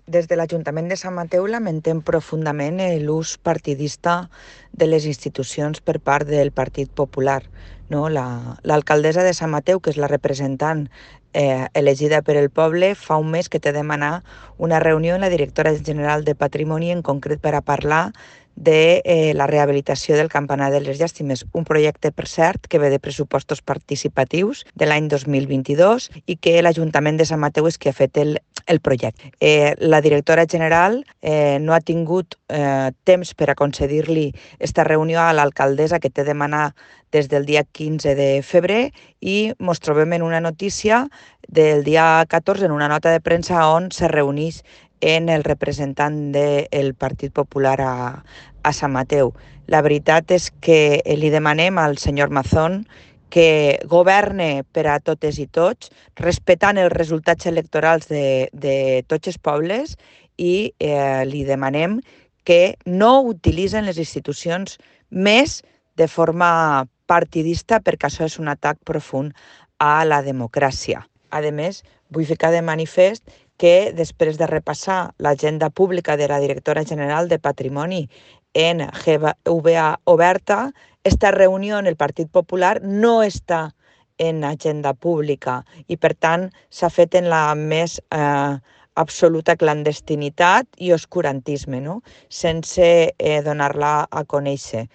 Des de l'Ajuntament de Sant Mateu lamentem profundament l'ús partidista de les institucions per part del Partit Popular. No? L'alcaldessa de Sant Mateu, que és la representant elegida per el poble, fa un mes que té de demanar una reunió amb la directora general de Patrimoni, en concret per a parlar de la rehabilitació del Campanar de les Llàstimes, un projecte, per cert, que ve de pressupostos participatius de l'any 2022 i que l'Ajuntament de Sant Mateu és qui ha fet el projecte. La directora general no ha tingut temps per a concedir-li aquesta reunió a l'alcaldessa que té de demanar des del dia 15 de febrer i ens trobem en una notícia del dia 14 en una nota de premsa on se reuneix en el representant del Partit Popular a Sant Mateu. La veritat és que li demanem al senyor Mazón que governe per a totes i tots, respectant els resultats electorals de tots els pobles i li demanem que no utilitzen les institucions més de forma partidista perquè això és un atac profund a la democràcia. A més, vull ficar de manifest que després de repassar l'agenda pública de la directora general de Patrimoni en GVA oberta, esta reunió en el Partit Popular no està en agenda pública i, per tant, s'ha fet en la més absoluta clandestinitat i oscurantisme, no? Sense donar-la a conèixer.